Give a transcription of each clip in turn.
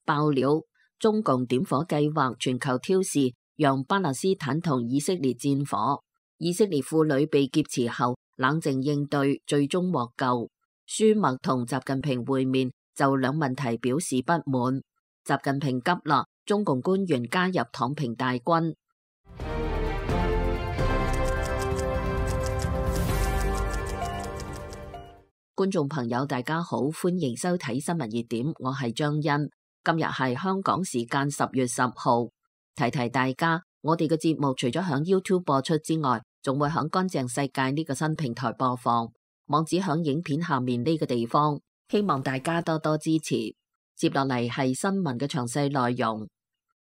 爆料，中共點火計劃全球挑事，讓巴勒斯坦同以色列戰火。以色列婦女被劫持後冷靜應對，最終獲救。舒默同習近平會面，就兩問題表示不滿。習近平急啦，中共官員加入躺平大軍。觀眾朋友大家好，歡迎收睇新聞熱點，我係張欣。今日係香港時間10月10號，提提大家，我哋嘅節目除咗響 YouTube 播出之外，仲會響乾淨世界呢個新平台播放，網址響影片下面呢個地方，希望大家多多支持。接落嚟係新聞嘅詳細內容。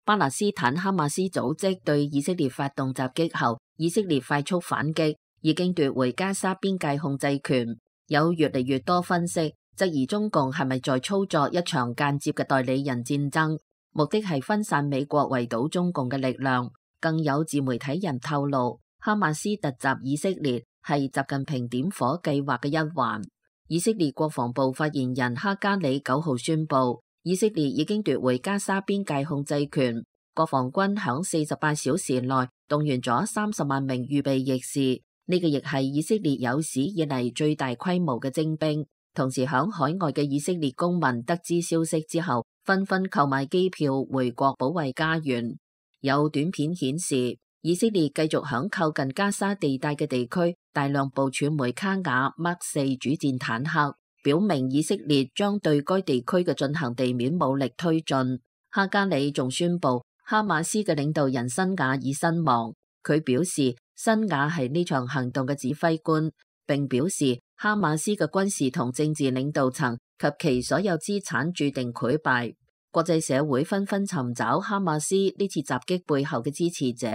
巴勒斯坦哈馬斯組織對以色列發動襲擊後，以色列快速反擊，已經奪回加沙邊界控制權。有越嚟越多分析質疑中共係咪在操作一場間接嘅代理人戰爭，目的係分散美國圍堵中共嘅力量。更有自媒體人透露，哈馬斯突襲以色列係習近平點火計劃嘅一環。以色列國防部發言人哈加里9號宣布，以色列已經奪回加沙邊界控制權，國防軍響48小時內動員咗30萬名預備役士。呢個亦係以色列有史以嚟最大規模嘅徵兵。同時響海外嘅以色列公民得知消息之後，紛紛購買機票回國保衛家園。有短片顯示，以色列繼續響靠近加沙地帶嘅地區大量部署梅卡雅 Mark 4主戰坦克，表明以色列將對該地區嘅進行地面武力推進。哈加里仲宣布，哈馬斯嘅領導人辛瓦已身亡。佢表示，辛瓦係呢場行動嘅指揮官，並表示哈馬斯嘅軍事同政治領導層及其所有資產注定潰敗。國際社會紛紛尋找哈馬斯呢次襲擊背後嘅支持者。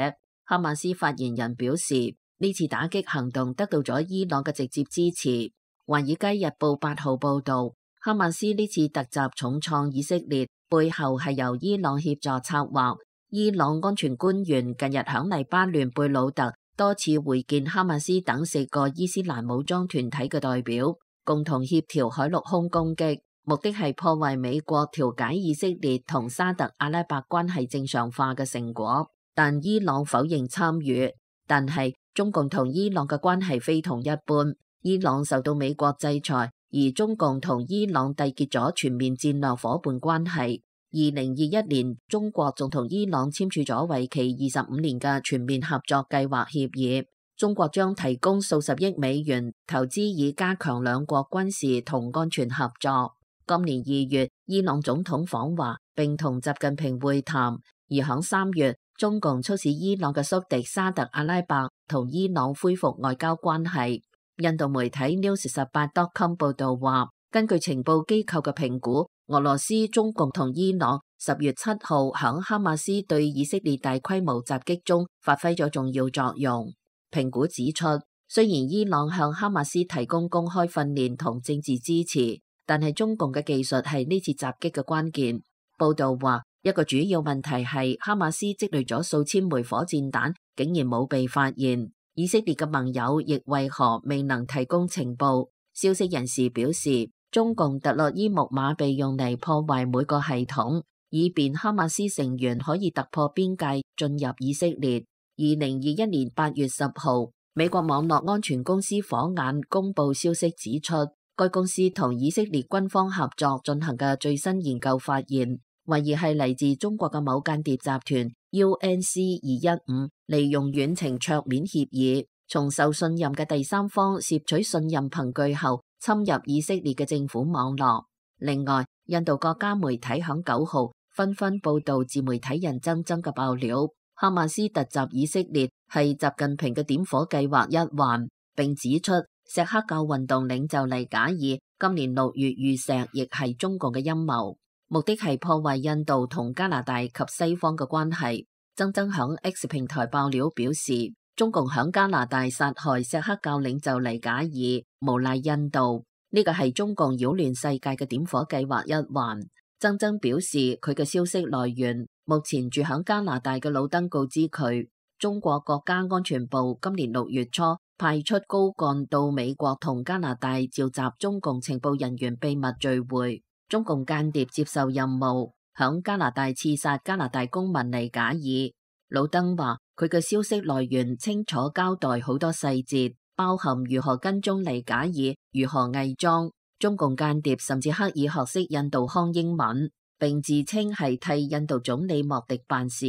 哈馬斯發言人表示，呢次打擊行動得到咗伊朗嘅直接支持。華爾街日報8號報道，哈馬斯呢次突襲重創以色列，背後係由伊朗協助策劃。伊朗安全官員近日響黎巴嫩貝魯特多次會見哈馬斯等4個伊斯蘭武裝團體嘅代表，共同協調海陸空攻擊，目的係破壞美國調解以色列同沙特阿拉伯關係正常化嘅成果。但伊朗否認參與。但係中共同伊朗嘅關係非同一般，伊朗受到美國制裁，而中共同伊朗締結咗全面戰略夥伴關係。2021年，中國仲同伊朗簽署咗為期25年嘅全面合作計劃協議，中國將提供數十億美元投資，以加強兩國軍事同安全合作。今年2月，伊朗總統訪華並同習近平會談，而響3月，中共促使伊朗嘅宿敵沙特阿拉伯同伊朗恢復外交關係。印度媒體 News18.com 報道話，根據情報機構嘅評估，俄羅斯、中共同伊朗10月7號響哈馬斯對以色列大規模襲擊中發揮咗重要作用。評估指出，雖然伊朗向哈馬斯提供公開訓練同政治支持，但係中共嘅技術係呢次襲擊嘅關鍵。報道話，一個主要問題係哈馬斯積累咗數千枚火箭彈，竟然冇被發現。以色列嘅盟友亦為何未能提供情報？消息人士表示，中共特洛伊木馬被用嚟破壞每個系統，以便哈馬斯成員可以突破邊界進入以色列。2021年8月10號，美國網絡安全公司火眼公布消息指出，該公司同以色列軍方合作進行嘅最新研究發現，懷疑係嚟自中國嘅某間諜集團 UNC215，利用遠程桌面協議，從受信任嘅第三方竊取信任憑據後，侵入以色列嘅政府網絡。另外，印度各家媒體響9號紛紛報道自媒體人曾曾嘅爆料，哈馬斯突襲以色列係習近平嘅點火計劃一環，並指出錫克教運動領袖黎賈爾今年6月遇襲亦係中共嘅陰謀，目的係破壞印度同加拿大及西方嘅關係。曾曾響 X 平台爆料表示，中共響加拿大殺害錫克教領袖黎賈爾，無賴印度，呢個係中共擾亂世界嘅點火計劃一環。曾曾表示，佢嘅消息來源目前住響加拿大嘅老登告知佢，中國國家安全部今年6月初派出高幹到美國同加拿大召集中共情報人員秘密聚會，中共間諜接受任務，響加拿大刺殺加拿大公民尼賈爾。魯登話佢嘅消息來源清楚交代好多細節，包含如何跟蹤尼賈爾、如何偽裝。中共間諜甚至刻意學識印度腔英文，並自稱係替印度總理莫迪辦事。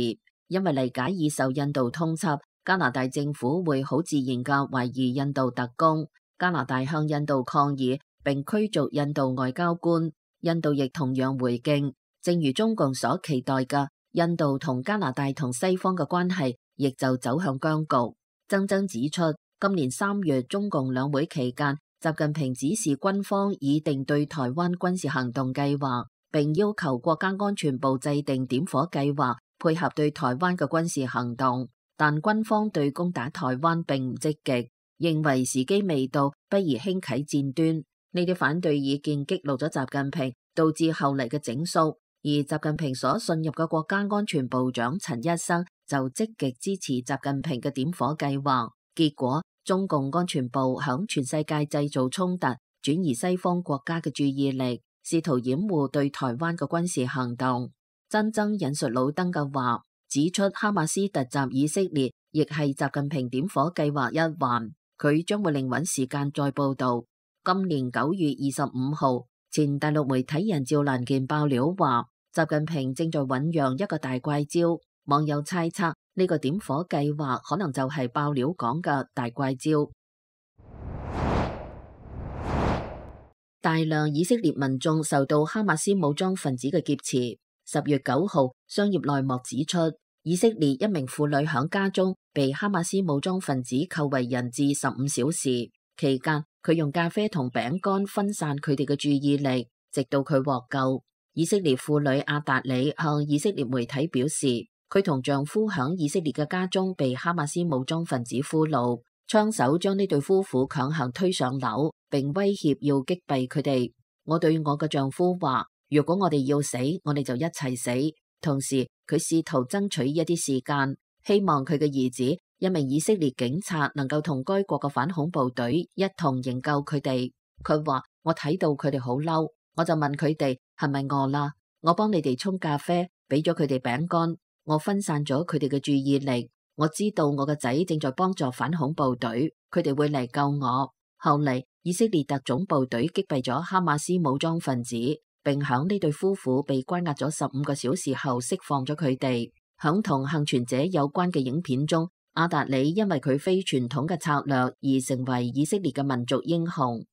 因為尼賈爾受印度通緝，加拿大政府會好自然嘅懷疑印度特工。加拿大向印度抗議並驅逐印度外交官，印度亦同樣回敬。正如中共所期待嘅，印度同加拿大同西方嘅關係亦就走向僵局。曾曾指出，今年3月中共兩會期間，習近平指示軍方擬定對台灣軍事行動計劃，並要求國家安全部制定點火計劃，配合對台灣嘅軍事行動。但軍方對攻打台灣並唔積極，認為時機未到，不宜輕啟戰端。呢啲反對意見激怒咗習近平，導致後嚟嘅整肅。而習近平所信任嘅國家安全部長陳一生就積極支持習近平嘅點火計劃，結果中共安全部響全世界製造衝突，轉移西方國家嘅注意力，試圖掩護對台灣嘅軍事行動。曾曾引述魯登嘅話，指出哈馬斯突襲以色列亦係習近平點火計劃一環，佢將會另揾時間再報道。今年9月25號，前大陸媒體人趙蘭健爆料話，習近平正在醞釀一個大怪招，網友猜測呢個點火計劃可能就係爆料講嘅大怪招。大量以色列民眾受到哈馬斯武裝分子嘅劫持。10月9號，商業內幕指出，以色列一名婦女響家中被哈馬斯武裝分子扣為人質15小時，期間佢用咖啡同餅乾分散佢哋嘅注意力，直到佢獲救。以色列婦女阿達里向以色列媒體表示，佢同丈夫響以色列嘅家中被哈馬斯武裝分子俘虜，槍手將呢對夫婦強行推上樓，並威脅要擊斃佢哋。我對我嘅丈夫話，如果我哋要死，我哋就一齊死。同時，佢試圖爭取一啲時間，希望佢嘅兒子，一名以色列警察，能夠同該國嘅反恐部隊一同營救佢哋。佢話，我睇到佢哋好嬲，我就問佢哋係咪餓啦？我幫你哋沖咖啡，俾咗佢哋餅乾，我分散咗佢哋嘅注意力。我知道我個仔正在幫助反恐部隊，佢哋會嚟救我。後嚟，以色列特種部隊擊斃咗哈馬斯武裝分子，並響呢對夫婦被關押咗15個小時後釋放咗佢哋。響同幸存者有關嘅影片中，阿達里因為佢非傳統嘅策略而成為以色列嘅民族英雄。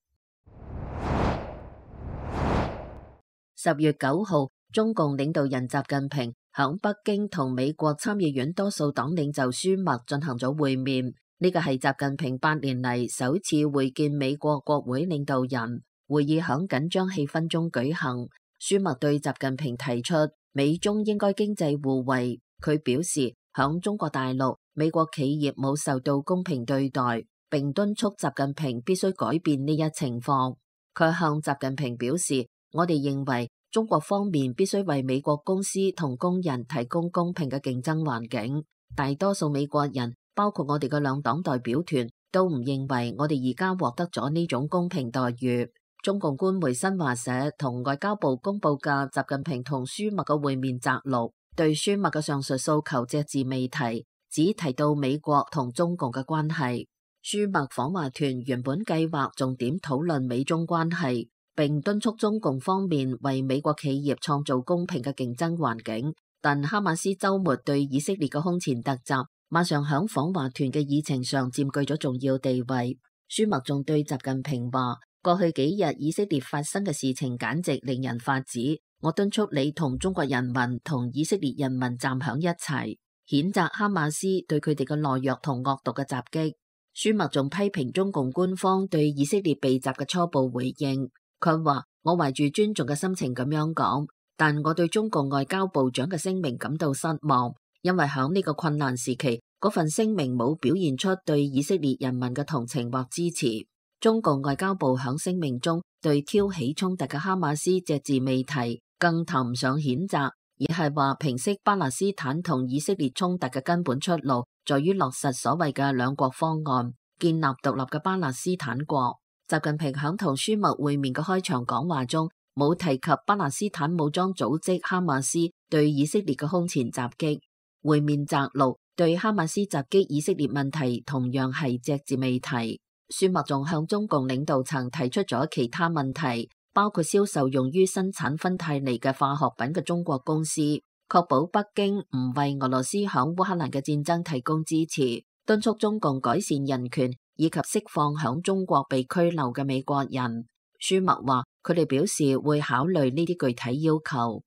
10月9號，中共領導人習近平響北京同美國參議院多數黨領袖舒默進行咗會面，呢個係習近平8年嚟首次會見美國國會領導人。會議響緊張氣氛中舉行，舒默對習近平提出美中應該經濟互惠。佢表示響中國大陸，美國企業冇受到公平對待，並敦促習近平必須改變呢一情況。佢向習近平表示，我哋認為中國方面必須為美國公司同工人提供公平嘅競爭環境。大多數美國人，包括我哋嘅兩黨代表團，都唔認為我哋而家獲得咗呢種公平待遇。中共官媒新華社同外交部公布嘅習近平同舒默嘅會面摘錄，對舒默嘅上述訴求隻字未提，只提到美國同中共嘅關係。舒默訪華團原本計劃重點討論美中關係，並敦促中共方面為美國企業創造公平嘅競爭環境。但哈馬斯週末對以色列嘅空前突襲，馬上響訪華團嘅議程上佔據咗重要地位。舒默仲對習近平話，過去幾日以色列發生嘅事情簡直令人髮指，我敦促你同中國人民同以色列人民站響一齊，譴責哈馬斯對佢哋嘅懦弱同惡毒嘅襲擊。舒默仲批評中共官方對以色列被襲嘅初步回應，佢話，我懷住尊重嘅心情咁樣講，但我對中共外交部長嘅聲明感到失望，因為響呢個困難時期，嗰份聲明冇表現出對以色列人民嘅同情或支持。中共外交部響聲明中對挑起衝突嘅哈馬斯隻字未提，更談唔上譴責，而係話平息巴勒斯坦同以色列衝突嘅根本出路，在於落實所謂嘅兩國方案，建立獨立嘅巴勒斯坦國。習近平響同舒默會面嘅開場講話中，冇提及巴勒斯坦武裝組織哈馬斯對以色列嘅空前襲擊。會面摘錄對哈馬斯襲擊以色列問題同樣係隻字未提。舒默仲向中共領導層提出咗其他問題，包括銷售用於生產芬太尼嘅化學品嘅中國公司，確保北京唔為俄羅斯響烏克蘭嘅戰爭提供支持，敦促中共改善人權以及釋放響中國被拘留嘅美國人。舒默話佢哋表示會考慮呢啲具體要求。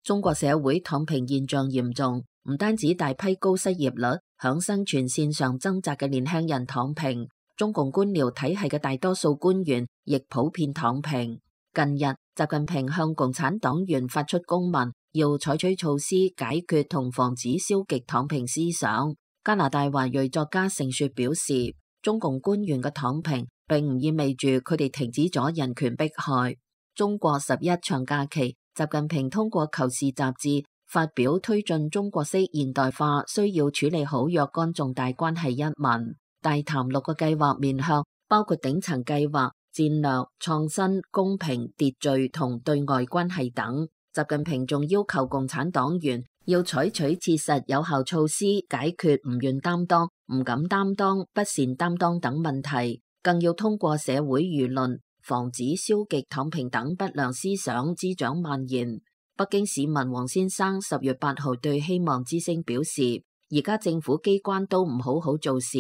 中國社會躺平現象嚴重，唔單止大批高失業率響生存線上掙扎嘅年輕人躺平，中共官僚體系嘅大多數官員亦普遍躺平。近日，習近平向共產黨員發出公文，要採取措施解決同防止消極躺平思想。加拿大華裔作家盛雪表示，中共官員嘅躺平並唔意味住佢哋停止咗人權迫害。中國11長假期，習近平通過《求是》雜誌發表推進中國式現代化需要處理好若干重大關係一文，大談6個計劃面向，包括頂層計劃、戰略、創新、公平、秩序同對外關係等。習近平仲要求共產黨員要採取切實有效措施解決唔願擔當、唔敢擔當、不善擔當等問題，更要通過社會輿論防止消極躺平等不良思想滋長蔓延。北京市民王先生10月8號對希望之聲表示，而家政府機關都唔好好做事。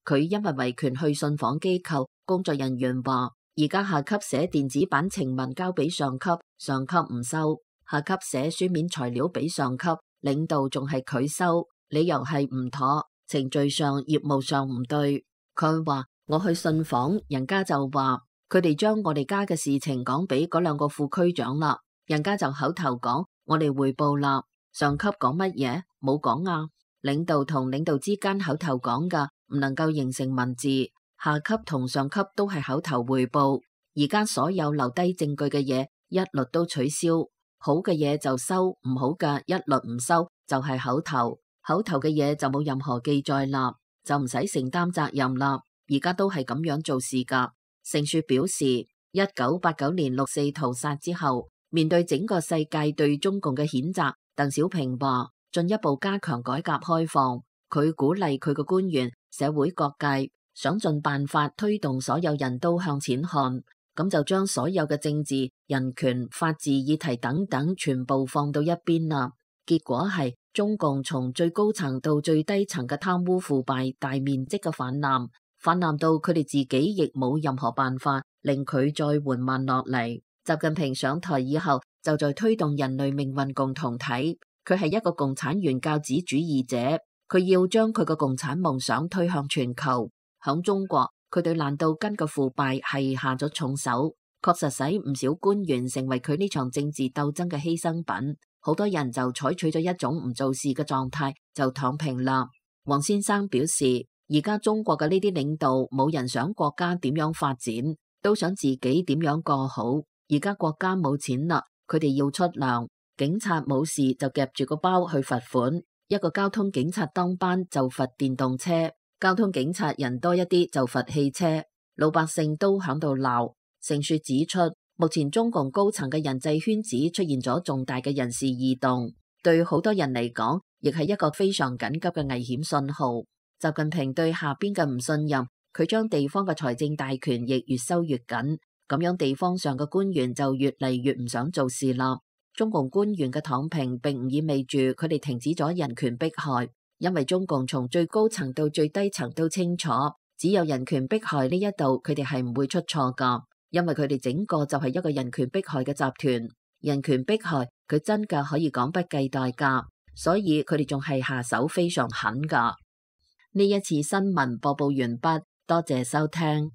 佢因為維權去信訪機構，工作人員話，而家下級寫電子版呈文交俾上級，上級唔收；下級寫書面材料俾上級，領導仲係佢收，理由係唔妥，程序上業務上唔對。佢話我去信訪，人家就話佢哋將我哋家嘅事情講俾嗰2個副區長啦，人家就口頭講我哋匯報啦，上級講乜嘢？冇講啊。領導同領導之間口頭講噶，唔能夠形成文字，下級同上級都係口頭匯報。而家所有留低證據嘅嘢一律都取消，好嘅嘢就收，唔好嘅一律唔收，就係口頭。口頭嘅嘢就冇任何記載啦，就唔使承擔責任啦。而家都係咁樣做事噶。盛雪表示，1989年6四屠殺之後，面對整個世界對中共嘅譴責，鄧小平話進一步加強改革開放。佢鼓勵佢嘅官員、社會各界想盡辦法推動所有人都向前看，咁就將所有嘅政治、人權、法治議題等等全部放到一邊啦。結果係中共從最高層到最低層嘅貪污腐敗大面積嘅氾濫到佢哋自己亦冇任何辦法令佢再緩慢落嚟。習近平上台以後就在推動人類命運共同體，佢係一個共產原教旨主義者，佢要將佢嘅共產夢想推向全球。響中國，佢對爛到根嘅腐敗係下咗重手，確實使唔少官員成為佢呢場政治鬥爭嘅犧牲品。好多人就採取咗一種唔做事嘅狀態，就躺平啦。王先生表示，而家中國嘅呢啲領導冇人想國家點樣發展，都想自己點樣過好。而家國家冇錢啦，佢哋要出糧，警察冇事就夾住個包去罰款，一個交通警察當班就罰電動車，交通警察人多一啲就罰汽車，老百姓都響度鬧。盛雪指出，目前中共高層嘅人際圈子出現咗重大嘅人事異動，對好多人嚟講，亦係一個非常緊急嘅危險信號。習近平對下邊嘅唔信任，佢將地方嘅財政大權亦越收越緊，咁樣地方上嘅官員就越嚟越唔想做事啦。中共官員嘅躺平並唔意味住佢哋停止咗人權迫害，因為中共從最高層到最低層都清楚，只有人權迫害呢一度佢哋係唔會出錯噶，因為佢哋整個就係一個人權迫害嘅集團。人權迫害佢真嘅可以講不計代價，所以佢哋仲係下手非常狠噶。呢一次新聞播報完畢，多謝收聽。